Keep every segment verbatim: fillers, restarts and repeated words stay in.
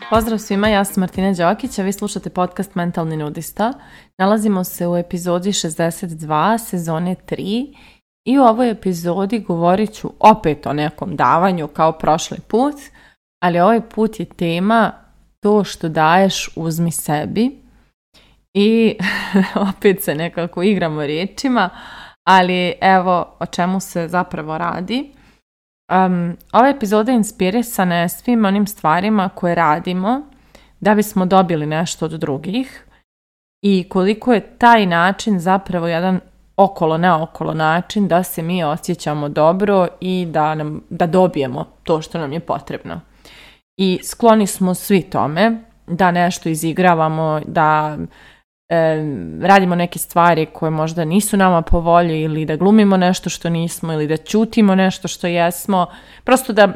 Pozdrav svima, ja sam Martina Đokić, a vi slušate podcast Mentalni nudista. Nalazimo se u epizodi šezdeset dva, sezone tri i u ovoj epizodi govorit ću opet o nekom davanju kao prošli put, ali ovaj put je tema to što daješ uzmi sebi i opet se nekako igramo riječima, ali evo o čemu se zapravo radi. Um, ova epizoda je inspirisana je svim onim stvarima koje radimo da bismo dobili nešto od drugih i koliko je taj način zapravo jedan okolo naokolo način da se mi osjećamo dobro i da, nam, da dobijemo to što nam je potrebno. I skloni smo svi tome da nešto izigravamo, da e, radimo neke stvari koje možda nisu nama po volji ili da glumimo nešto što nismo ili da ćutimo nešto što jesmo. Prosto da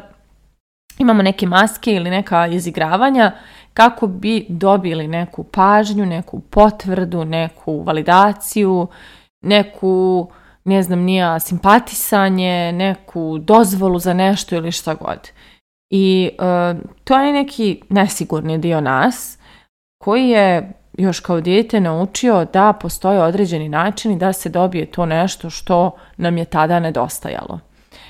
imamo neke maske ili neka izigravanja kako bi dobili neku pažnju, neku potvrdu, neku validaciju, neku, ne znam, nija simpatisanje, neku dozvolu za nešto ili šta god. I uh, to je neki nesigurni dio nas koji je još kao dijete naučio da postoje određeni načini da se dobije to nešto što nam je tada nedostajalo.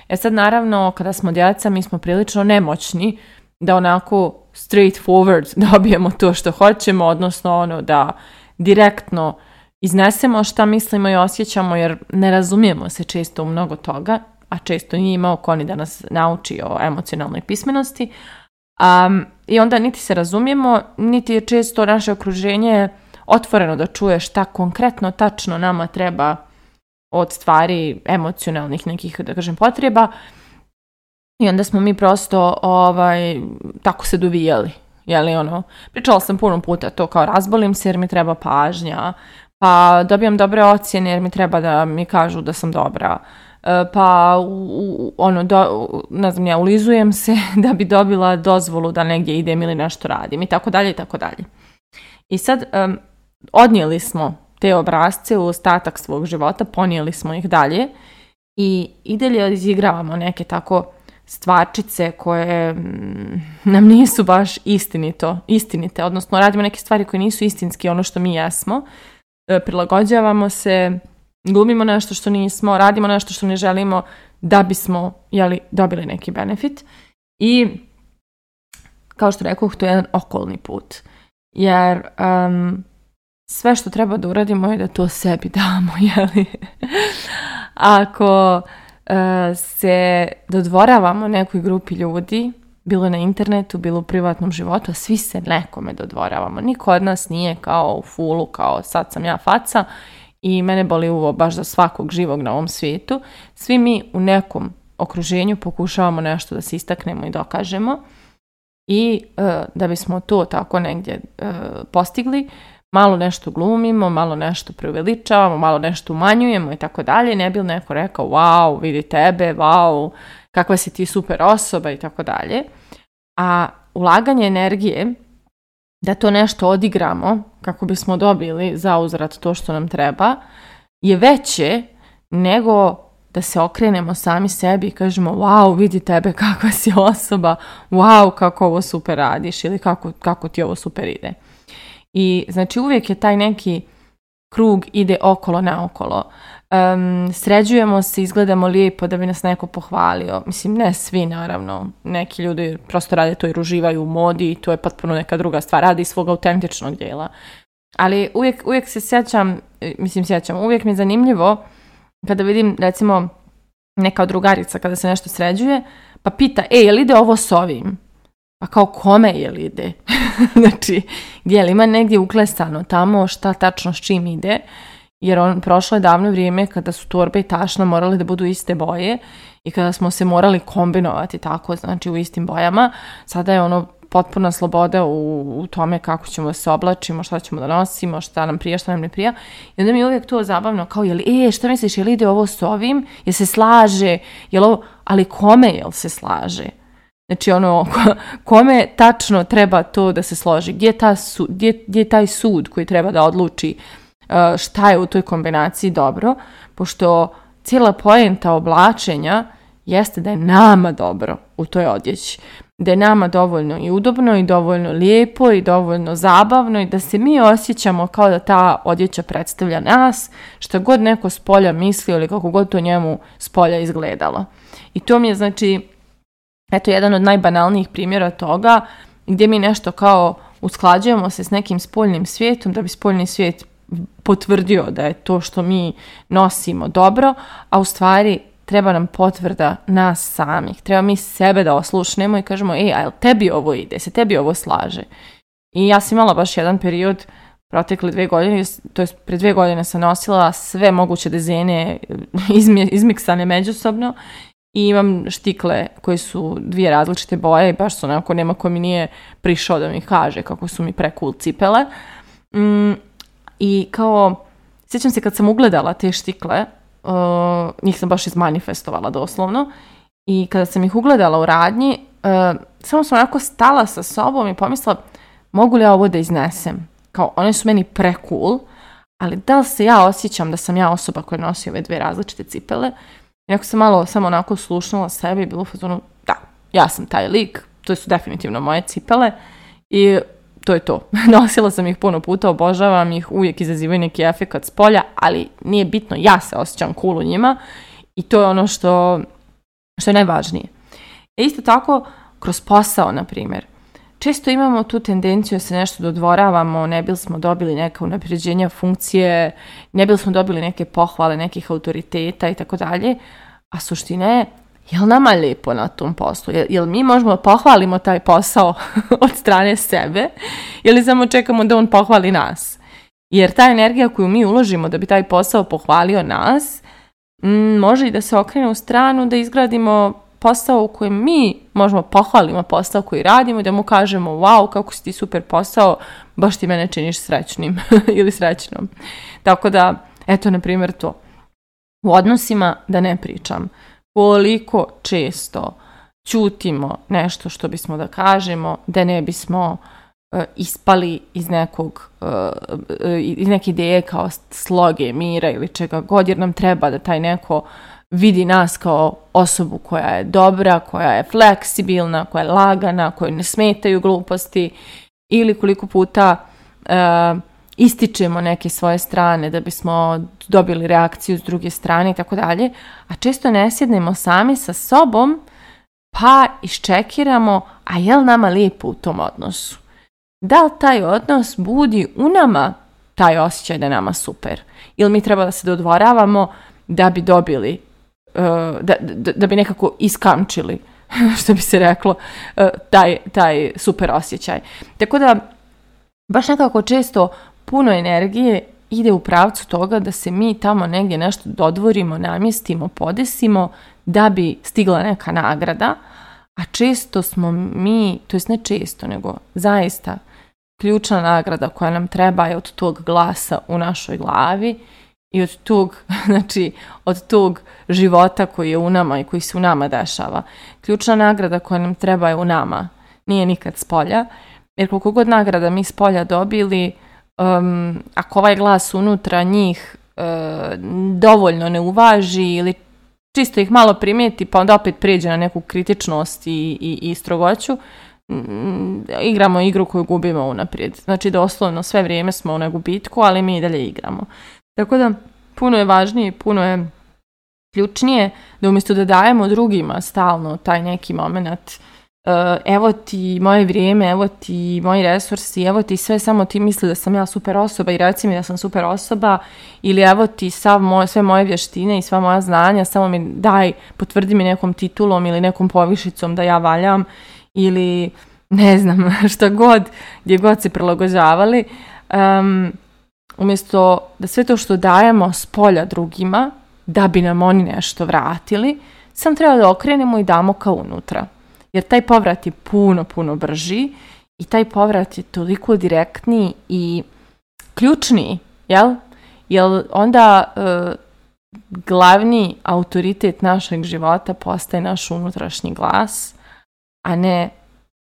E sad naravno kada smo djeca mi smo prilično nemoćni da onako straightforward dobijemo to što hoćemo, odnosno ono da direktno iznesemo šta mislimo i osjećamo jer ne razumijemo se često u mnogo toga, a često nije imao ko ni da nas nauči o emocionalnoj pismenosti. Um, I onda niti se razumijemo, niti je često naše okruženje otvoreno da čuje šta konkretno, tačno nama treba od stvari emocionalnih nekih, da kažem, potreba. I onda smo mi prosto ovaj, tako se dovijali. Jeli, ono, pričala sam puno puta to kao razbolim se jer mi treba pažnja, pa dobijam dobre ocjene jer mi treba da mi kažu da sam dobra. Pa u, ono, do, ne znam ja, ulizujem se da bi dobila dozvolu da negdje idem ili nešto radim i tako dalje i tako dalje. I sad um, odnijeli smo te obrasce u ostatak svog života, ponijeli smo ih dalje i i dalje izigravamo neke tako stvarčice koje mm, nam nisu baš istinito, istinite, odnosno radimo neke stvari koje nisu istinski ono što mi jesmo, e, prilagođavamo se, glumimo nešto što nismo, radimo nešto što ne želimo da bismo jeli, dobili neki benefit. I kao što rekoh, to je jedan okolni put. Jer um, sve što treba da uradimo je da to sebi damo. Jeli? Ako uh, se dodvoravamo nekoj grupi ljudi, bilo na internetu, bilo u privatnom životu, a svi se nekome dodvoravamo. Niko od nas nije kao u fulu, kao sad sam ja faca, i mene boli uvo baš za svakog živog na ovom svijetu. Svi mi u nekom okruženju pokušavamo nešto da se istaknemo i dokažemo i e, da bismo to tako negdje e, postigli, malo nešto glumimo, malo nešto preuveličavamo, malo nešto umanjujemo i tako dalje. Ne bi li neko rekao wow, vidi tebe, wow, kakva si ti super osoba i tako dalje. A ulaganje energije da to nešto odigramo kako bismo dobili za uzvrat to što nam treba je veće nego da se okrenemo sami sebi i kažemo wow, vidi tebe kakva si osoba, wow, kako ovo super radiš ili kako, kako ti ovo super ide. I znači uvijek je taj neki krug ide okolo naokolo. Um, sređujemo se, izgledamo lijepo da bi nas neko pohvalio. Mislim, ne svi naravno. Neki ljudi prosto rade to jer uživaju u modi i to je potpuno neka druga stvar. Radi iz svog autentičnog dijela. Ali uvijek, uvijek se sjećam, mislim sjećam, uvijek mi je zanimljivo kada vidim recimo neka drugarica kada se nešto sređuje pa pita, e, je li ide ovo s ovim? Pa kao kome je li ide? Znači, gdje li ima negdje uklesano tamo šta tačno s čim ide? Jer on, prošlo je davno vrijeme kada su torbe i tašna morali da budu iste boje i kada smo se morali kombinovati tako, znači u istim bojama. Sada je ono potpuna sloboda u, u tome kako ćemo da se oblačimo, šta ćemo da nosimo, šta nam prija, šta nam ne prija. I onda mi je uvijek to zabavno, kao, jel, e, šta misliš, jel ide ovo s ovim? Jel se slaže? Jel ovo, ali kome jel se slaže? Znači, ono, kome tačno treba to da se složi? Gdje je, ta su, gdje, gdje je taj sud koji treba da odluči šta je u toj kombinaciji dobro? Pošto cijela poenta oblačenja jeste da je nama dobro u toj odjeći. Da je nama dovoljno i udobno i dovoljno lijepo i dovoljno zabavno i da se mi osjećamo kao da ta odjeća predstavlja nas, što god neko s polja mislio ili kako god to njemu s polja izgledalo. I to mi je, znači, eto, jedan od najbanalnijih primjera toga gdje mi nešto kao usklađujemo se s nekim spoljnim svijetom da bi spoljni svijet potvrdio da je to što mi nosimo dobro, a u stvari treba nam potvrda nas samih. Treba mi sebe da oslušnemo i kažemo, ej, a jel tebi ovo ide, se tebi ovo slaže? I ja sam imala baš jedan period, protekle dve godine, to je pre dve godine sam nosila sve moguće dezene izmiksane međusobno i imam štikle koji su dvije različite boje i baš su onako, nema ko mi nije prišao da mi kaže kako su mi pre-cool cipele. Mm, I kao, sjećam se kad sam ugledala te štikle, Uh, njih sam baš izmanifestovala doslovno i kada sam ih ugledala u radnji uh, samo sam onako stala sa sobom i pomislila mogu li ja ovo da iznesem, kao one su meni pre-cool, ali da li se ja osjećam da sam ja osoba koja nosi ove dve različite cipele. I ako sam malo samo onako slušnula sebe i bilo u fazonu da, ja sam taj lik, to su definitivno moje cipele i to je to. Nosila sam ih puno puta, obožavam ih, uvijek izazivaju neki efekat s polja, ali nije bitno, ja se osjećam cool u njima i to je ono što, što je najvažnije. E isto tako, kroz posao, na primjer, često imamo tu tendenciju da se nešto dodvoravamo, ne bili smo dobili neka unapređenja funkcije, ne bili smo dobili neke pohvale nekih autoriteta i tako dalje, a suština je, jel nama lijepo na tom poslu? Jel, jel mi možemo pohvalimo taj posao od strane sebe ili samo čekamo da on pohvali nas? Jer ta energija koju mi uložimo da bi taj posao pohvalio nas, m, može i da se okrene u stranu da izgradimo posao u kojem mi možemo pohvalimo posao koji radimo i da mu kažemo wow, kako si ti super posao, baš ti mene činiš srećnim ili srećnom. Tako da, eto, na primjer to. U odnosima, da ne pričam, koliko često ćutimo nešto što bismo da kažemo, da ne bismo uh, ispali iz nekog uh, iz neke ideje kao sloge, mira ili čega god, jer nam treba da taj neko vidi nas kao osobu koja je dobra, koja je fleksibilna, koja je lagana, kojoj ne smetaju gluposti, ili koliko puta uh, ističemo neke svoje strane da bismo dobili reakciju s druge strane i tako dalje, a često ne sjednemo sami sa sobom pa iščekiramo, a je li nama lijepo u tom odnosu? Da li taj odnos budi u nama taj osjećaj da je nama super? Ili mi treba da se dodvoravamo da bi dobili, uh, da, da, da bi nekako iskamčili, što bi se reklo, uh, taj, taj super osjećaj. Tako da, baš nekako često puno energije ide u pravcu toga da se mi tamo negdje nešto dodvorimo, namjestimo, podesimo da bi stigla neka nagrada, a često smo mi, to jest ne često, nego zaista ključna nagrada koja nam treba je od tog glasa u našoj glavi i od tog, znači, od tog života koji je u nama i koji se u nama dešava. Ključna nagrada koja nam treba je u nama, nije nikad s polja, jer koliko god nagrada mi s polja dobili, Um, ako ovaj glas unutra njih uh, dovoljno ne uvaži ili čisto ih malo primijeti pa onda opet prijeđe na neku kritičnost i, i, i strogoću, um, igramo igru koju gubimo unaprijed. Znači doslovno sve vrijeme smo na gubitku, ali mi i dalje igramo. Tako da puno je važnije, puno je ključnije da umjesto da dajemo drugima stalno taj neki moment, Uh, evo ti moje vrijeme, evo ti moji resursi, evo ti sve, samo ti misli da sam ja super osoba i reci mi da sam super osoba, ili evo ti sav moj, sve moje vještine i sva moja znanja, samo mi daj, potvrdi mi nekom titulom ili nekom povišicom da ja valjam, ili ne znam šta god, gdje god se prilagođavali, um, umjesto da sve to što dajemo s polja drugima da bi nam oni nešto vratili, sam treba da okrenemo i damo kao unutra. Jer taj povrat je puno, puno brži i taj povrat je toliko direktniji i ključniji, jel? Jer onda e, glavni autoritet našeg života postaje naš unutrašnji glas, a ne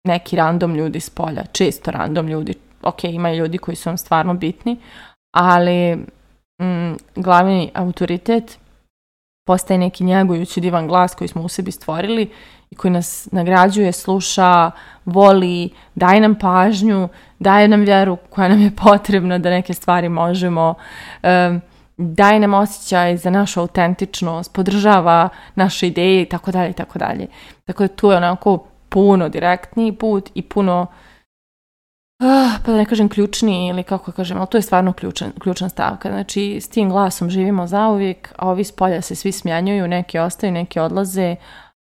neki random ljudi s polja. Često random ljudi, ok, ima ljudi koji su vam stvarno bitni, ali mm, glavni autoritet postaje neki njegujući divan glas koji smo u sebi stvorili i koji nas nagrađuje, sluša, voli, daje nam pažnju, daje nam vjeru koja nam je potrebna da neke stvari možemo, um, daje nam osjećaj za našu autentičnost, podržava naše ideje i tako dalje i tako dalje. Tako da tu je onako puno direktniji put i puno, uh, pa da ne kažem ključniji ili kako kažem, ali to je stvarno ključan, ključna stavka. Znači s tim glasom živimo zauvijek, a ovi s polja se svi smjenjuju, neki ostaju, neki odlaze,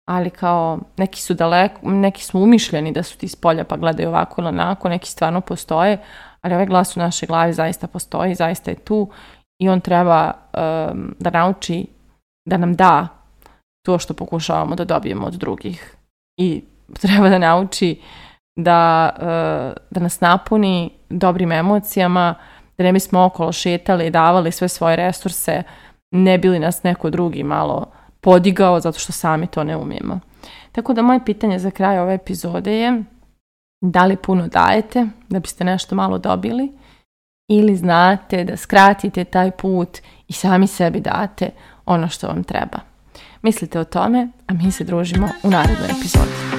ali kao neki su daleko, neki smo umišljeni da su ti s polja pa gledaju ovako ili onako, neki stvarno postoje, ali ovaj glas u našoj glavi zaista postoji, zaista je tu i on treba um, da nauči da nam da to što pokušavamo da dobijemo od drugih i treba da nauči da, uh, da nas napuni dobrim emocijama, da ne bismo okolo šetali i davali sve svoje resurse, ne bi li nas neko drugi malo podigao zato što sami to ne umijemo. Tako da moje pitanje za kraj ove epizode je da li puno dajete da biste nešto malo dobili ili znate da skratite taj put i sami sebi date ono što vam treba. Mislite o tome, a mi se družimo u narednoj epizodi.